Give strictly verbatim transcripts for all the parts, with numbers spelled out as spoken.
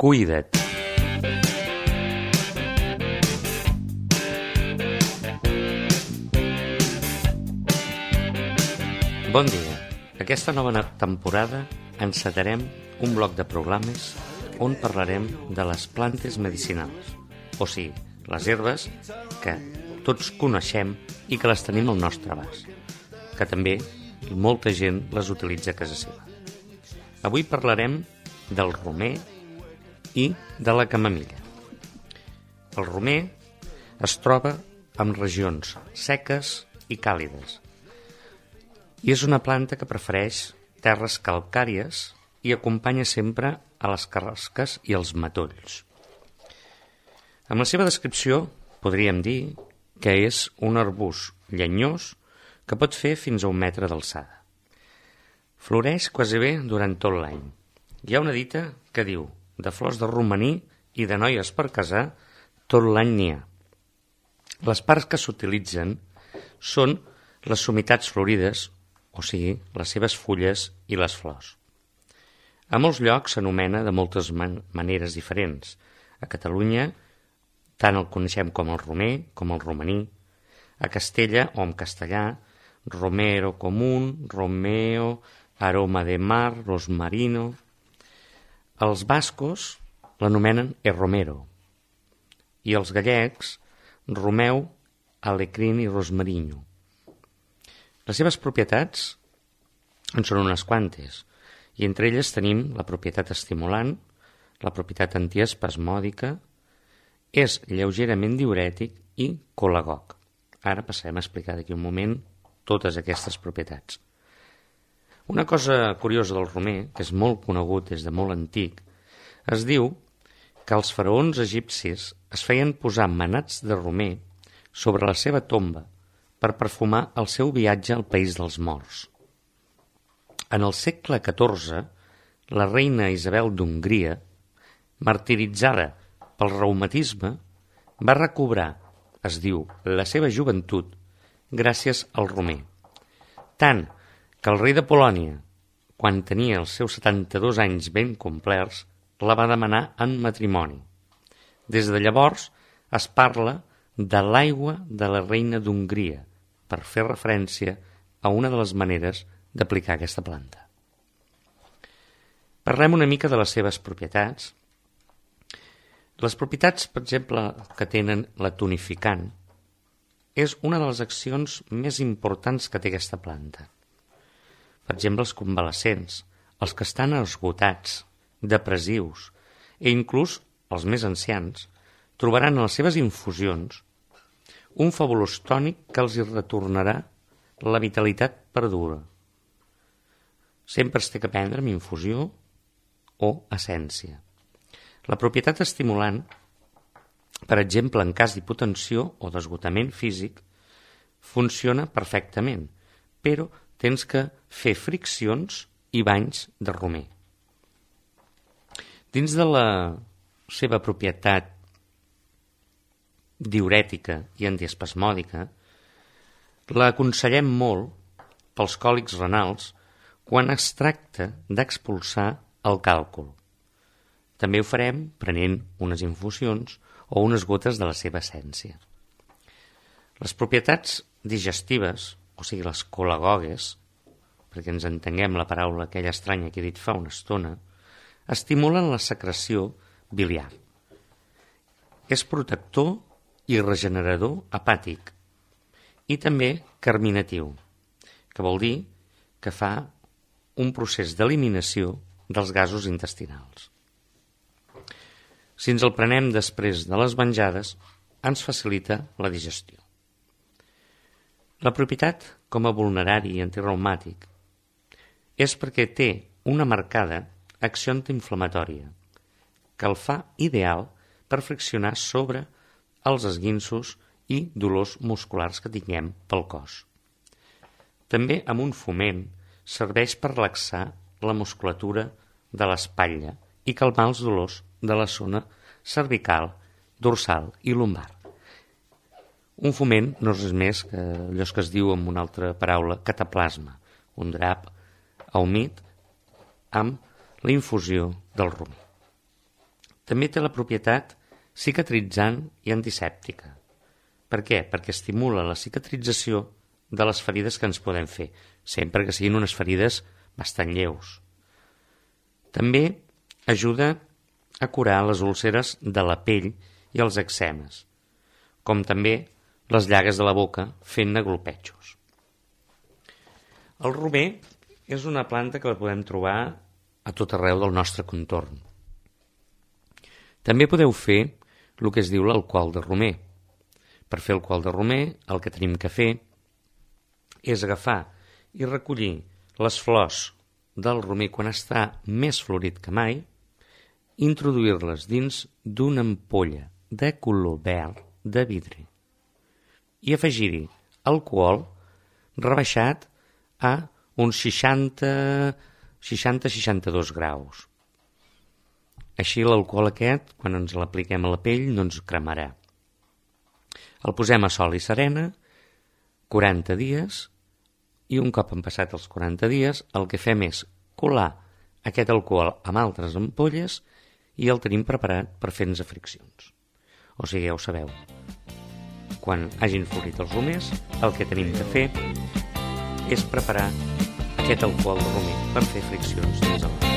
Cuida't. Bon dia. Aquesta nova temporada encetarem un bloc de programes on parlarem de les plantes medicinals, o sigui, les herbes que tots coneixem i que les tenim al nostre abast, que també molta gent les utilitza a casa seva. Avui parlarem del romer i de la camamilla. El romer es troba en regions seques i càlides i és una planta que prefereix terres calcàries i acompanya sempre a les carrasques i els matolls. Amb la seva descripció podríem dir que és un arbust llenyós que pot fer fins a un metre d'alçada. Floreix quasi bé durant tot l'any. Hi ha una dita que diu: de flors de romaní i de noies per casar, tot l'any n'hi ha. Les parts que s'utilitzen són les somitats florides, o sigui, les seves fulles i les flors. A molts llocs s'anomena de moltes man- maneres diferents. A Catalunya tant el coneixem com el romer, com el romaní. A Castella, o en castellà, romero común, romeo, aroma de mar, rosmarino. Els bascos l'anomenen el romero i els gallecs romeu, alecrín i rosmarino. Les seves propietats en són unes quantes, i entre elles tenim la propietat estimulant, la propietat antiespasmòdica, és lleugerament diürètic i colagog. Ara passarem a explicar d'aquí un moment totes aquestes propietats. Una cosa curiosa del romer, que és molt conegut des de molt antic, es diu que els faraons egipcis es feien posar manats de romer sobre la seva tomba per perfumar el seu viatge al país dels morts. En el segle catorze, la reina Isabel d'Hongria, martiritzada pel reumatisme, va recobrar, es diu, la seva joventut gràcies al romer. Tant que el rei de Polònia, quan tenia els seus setanta-dos anys ben complerts, la va demanar en matrimoni. Des de llavors es parla de l'aigua de la reina d'Hongria, per fer referència a una de les maneres d'aplicar aquesta planta. Parlem una mica de les seves propietats. Les propietats, per exemple, que tenen la tonificant, és una de les accions més importants que té aquesta planta. Per exemple, els convalescents, els que estan esgotats, depressius, i inclús els més ancians, trobaran en les seves infusions un fabulós tònic que els hi retornarà la vitalitat perduda. Sempre es té que prendre amb infusió o essència. La propietat estimulant, per exemple, en cas d'hipotensió o d'esgotament físic, funciona perfectament, però tens que fer friccions i banys de romer. Dins de la seva propietat diürètica i antiespasmòdica, la aconsellem molt pels còlics renals quan es tracta d'expulsar el càlcul. També ho farem prenent unes infusions o unes gotes de la seva essència. Les propietats digestives, o sigui, les colagogues, perquè ens entenguem la paraula aquella estranya que he dit fa una estona, estimulen la secreció biliar. És protector i regenerador hepàtic i també carminatiu, que vol dir que fa un procés d'eliminació dels gasos intestinals. Si ens el prenem després de les menjades, ens facilita la digestió. La propietat com a vulnerari i antireumàtic és perquè té una marcada acció antiinflamatòria que el fa ideal per friccionar sobre els esguinços i dolors musculars que tinguem pel cos. També amb un foment serveix per relaxar la musculatura de l'espatlla i calmar els dolors de la zona cervical, dorsal i lumbar. Un foment no és més que allò que es diu amb una altra paraula, cataplasma, un drap humit amb la infusió del romer. també té la propietat cicatritzant i antisèptica. Per què? Perquè estimula la cicatrització de les ferides que ens podem fer, sempre que siguin unes ferides bastant lleus. També ajuda a curar les úlceres de la pell i els eczemes, com també les llagues de la boca fent-ne glopetjos. El romer és una planta que la podem trobar a tot arreu del nostre contorn. També podeu fer el que es diu l'alcohol de romer. Per fer alcohol de romer, el que tenim que fer és agafar i recollir les flors del romer quan està més florit que mai, introduir-les dins d'una ampolla de color verd de vidre i afegir-hi alcohol rebaixat a uns seixanta seixanta-seixanta-dos graus. Així l'alcohol aquest, quan ens l'apliquem a la pell, no ens cremarà. El posem a sol i serena, quaranta dies, i un cop han passat els quaranta dies, el que fem és colar aquest alcohol amb altres ampolles i el tenim preparat per fer-nos friccions. O sigui, ja ho sabeu, quan hagin florit els romers, el que tenim que fer és preparar aquest alcohol de romer per fer friccions dins el romer.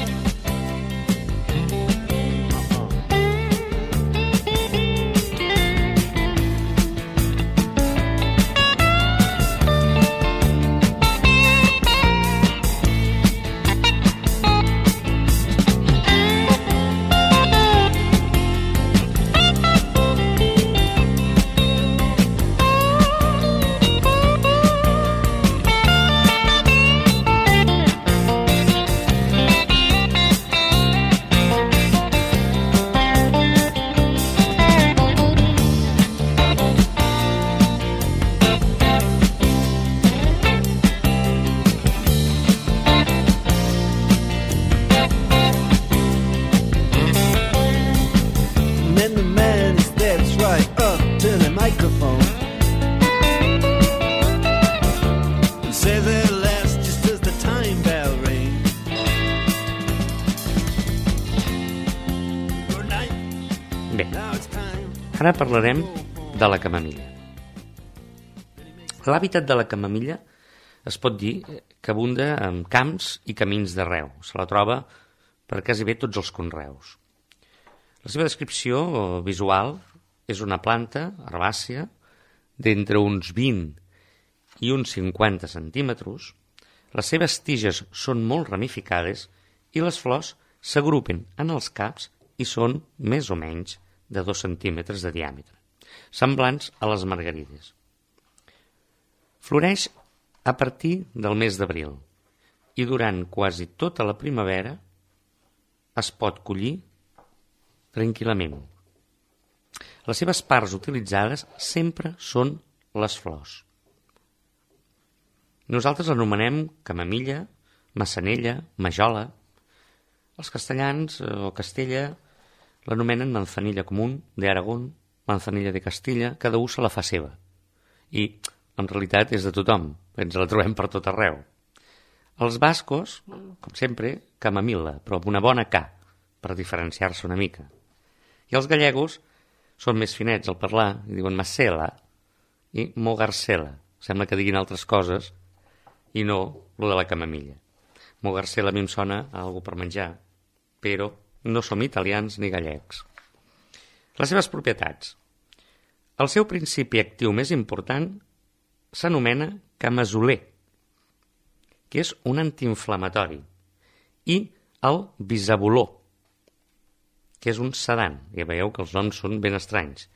Bé, ara parlarem de la camamilla. L'hàbitat de la camamilla es pot dir que abunda en camps i camins d'arreu. Se la troba per quasi bé tots els conreus. La seva descripció visual és una planta herbàcia d'entre uns vint i uns cinquanta centímetres. Les seves tiges són molt ramificades i les flors s'agrupen en els caps i són més o menys de dos centímetres de diàmetre, semblants a les margarides. Floreix a partir del mes d'abril i durant quasi tota la primavera es pot collir tranquil·lament. Les seves parts utilitzades sempre són les flors. Nosaltres l'anomenem camamilla, massanella, majola. Els castellans o Castella l'anomenen manzanilla común de Aragón, manzanilla de Castilla, cada un se la fa seva. I, en realitat, és de tothom, ens la trobem per tot arreu. Els bascos, com sempre, camamilla, però amb una bona K, per diferenciar-se una mica. I els gallegos són més finets al parlar i diuen macela i mogarcela. Sembla que diguin altres coses i no lo de la camamilla. Mogarcela a mi em sona a algú per menjar, però no som italians ni gallecs. Les seves propietats. El seu principi actiu més important s'anomena camazoler, que és un antiinflamatori, i el bisaboló, que és un sedant. Ja veieu que els noms són ben estranys.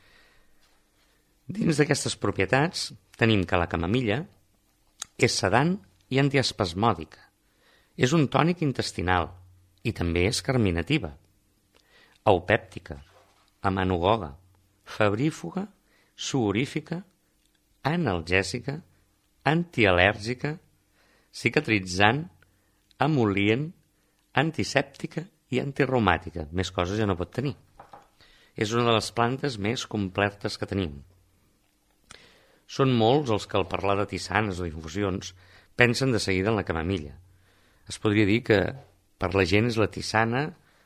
Dins d'aquestes propietats tenim que la camamilla és sedant i antiespasmòdica. És un tònic intestinal i també és carminativa, eupèptica, amanogoga, febrífuga, suorífica, analgèsica, antial·lèrgica, cicatritzant, emol·lient, antisèptica i antirreumàtica. Més coses ja no pot tenir. És una de les plantes més completes que tenim. Són molts els que al parlar de tisanes o d'infusions pensen de seguida en la camamilla. Es podria dir que per la gent és la tisana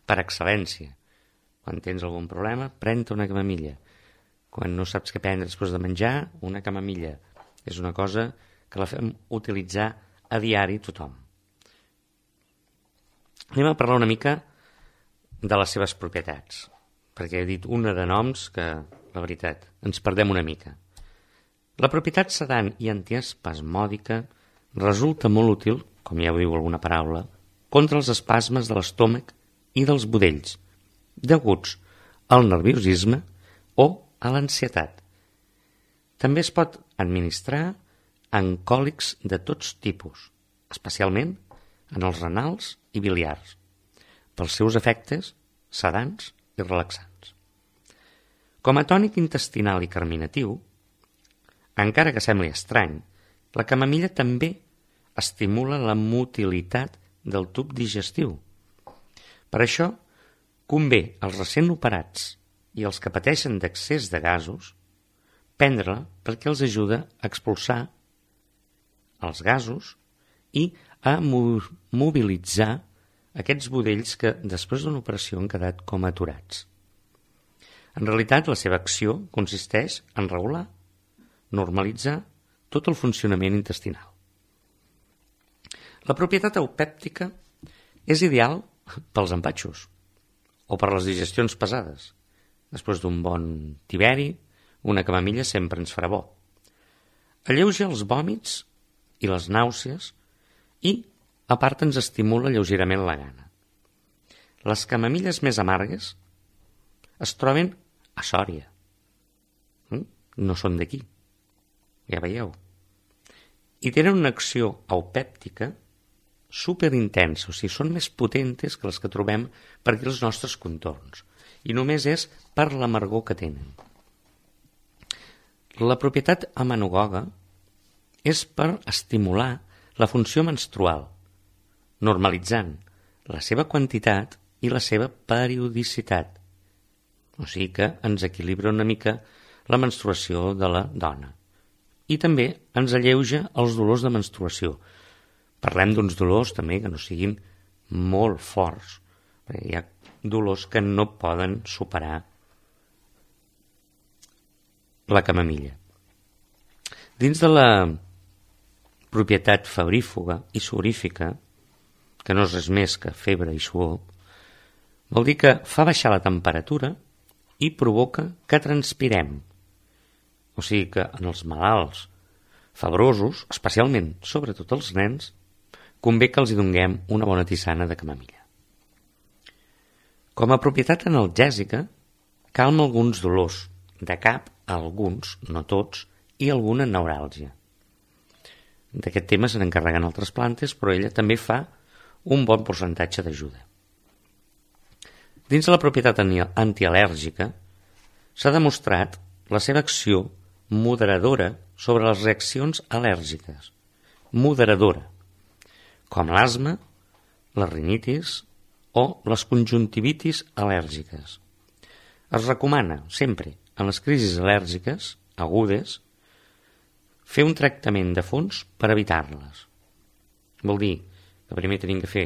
per excel·lència, Quan tens algun problema, pren-te una camamilla. Quan no saps què prendre després de menjar, una camamilla. És una cosa que la fem utilitzar a diari tothom. Anem a parlar una mica de les seves propietats, perquè he dit una de noms que, la veritat, ens perdem una mica. La propietat sedant i antiespasmòdica resulta molt útil, com ja ho diu alguna paraula, contra els espasmes de l'estómac i dels budells, deguts al nerviosisme o a l'ansietat. També es pot administrar en còlics de tots tipus, especialment en els renals i biliars, pels seus efectes sedants i relaxants. Com a tònic intestinal i carminatiu, encara que sembli estrany, la camamilla també estimula la motilitat del tub digestiu. Per això, convé als recent operats i els que pateixen d'excés de gasos prendre-la perquè els ajuda a expulsar els gasos i a mobilitzar aquests budells que després d'una operació han quedat com aturats. En realitat, la seva acció consisteix en regular, normalitzar tot el funcionament intestinal. La propietat eupèptica és ideal pels empatxos o per les digestions pesades. Després d'un bon tiberi, una camamilla sempre ens farà bo. Alleuja els vòmits i les nàusees i, a part, ens estimula lleugerament la gana. Les camamilles més amargues es troben a Sòria. No són d'aquí, ja veieu. I tenen una acció eupèptica superintensa, o sigui, són més potentes que les que trobem per aquí als nostres contorns. I només és per l'amargor que tenen. La propietat amenagoga és per estimular la funció menstrual, normalitzant la seva quantitat i la seva periodicitat. O sigui que ens equilibra una mica la menstruació de la dona. I també ens alleuja els dolors de menstruació. Parlem d'uns dolors també que no siguin molt forts, perquè hi ha dolors que no poden superar la camamilla. Dins de la propietat febrífuga i suorífica, que no és res més que febre i suor, vol dir que fa baixar la temperatura i provoca que transpirem. O sigui que en els malalts febrosos, especialment sobretot els nens, convé que els hi donguem una bona tisana de camamilla. Com a propietat analgèsica, calma alguns dolors, de cap, alguns, no tots, i alguna neuràlgia. D'aquest tema se n'encarreguen altres plantes, però ella també fa un bon percentatge d'ajuda. Dins de la propietat antial·lèrgica, s'ha demostrat la seva acció moderadora sobre les reaccions al·lèrgiques. Moderadora, com l'asma, la rinitis o les conjuntivitis al·lèrgiques. Es recomana sempre, en les crisis al·lèrgiques agudes, fer un tractament de fons per evitar-les. Vol dir que primer tenim que fer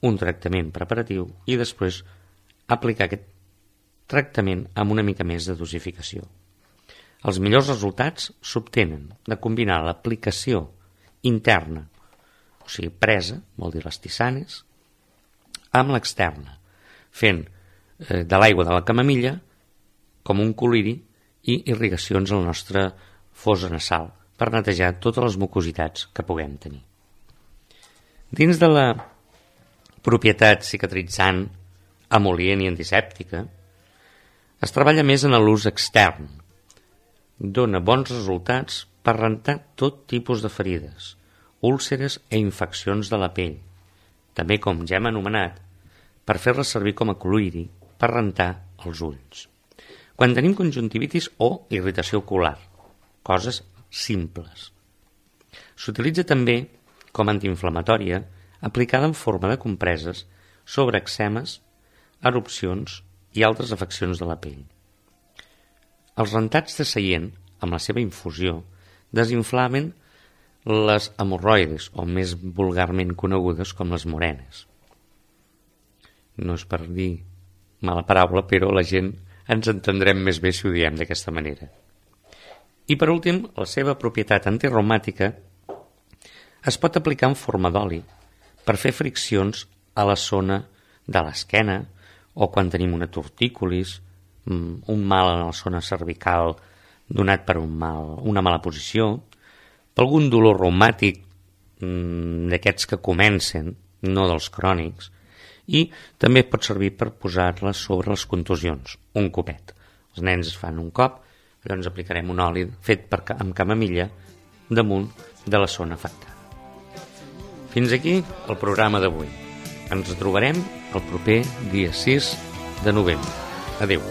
un tractament preparatiu i després aplicar aquest tractament amb una mica més de dosificació. Els millors resultats s'obtenen de combinar l'aplicació interna, o sigui, presa, vol dir les tisanes, amb l'externa, fent eh, de l'aigua de la camamilla com un coliri i irrigacions a la nostra fosa nasal per netejar totes les mucositats que puguem tenir. Dins de la propietat cicatritzant, emol·lient i antisèptica, es treballa més en l'ús extern. Dóna bons resultats per rentar tot tipus de ferides, úlceres i infeccions de la pell, també, com ja hem anomenat, per fer-la servir com a coliri per rentar els ulls. Quan tenim conjuntivitis o irritació ocular, coses simples. S'utilitza també com antiinflamatòria aplicada en forma de compreses sobre eczemes, erupcions i altres afeccions de la pell. Els rentats de seient, amb la seva infusió, desinflamen les hemorroides, o més vulgarment conegudes com les morenes. No és per dir mala paraula, però la gent ens entendrem més bé si ho diem d'aquesta manera. I per últim, la seva propietat antirreumàtica es pot aplicar en forma d'oli per fer friccions a la zona de l'esquena o quan tenim una tortícolis, un mal en la zona cervical donat per un mal, una mala posició, per algun dolor reumàtic d'aquests que comencen, no dels crònics, i també pot servir per posar-la sobre les contusions, un copet. Els nens es fan un cop, llavors aplicarem un oli fet per, amb camamilla damunt de la zona afectada. Fins aquí el programa d'avui. Ens trobarem el proper dia sis de novembre. Adéu.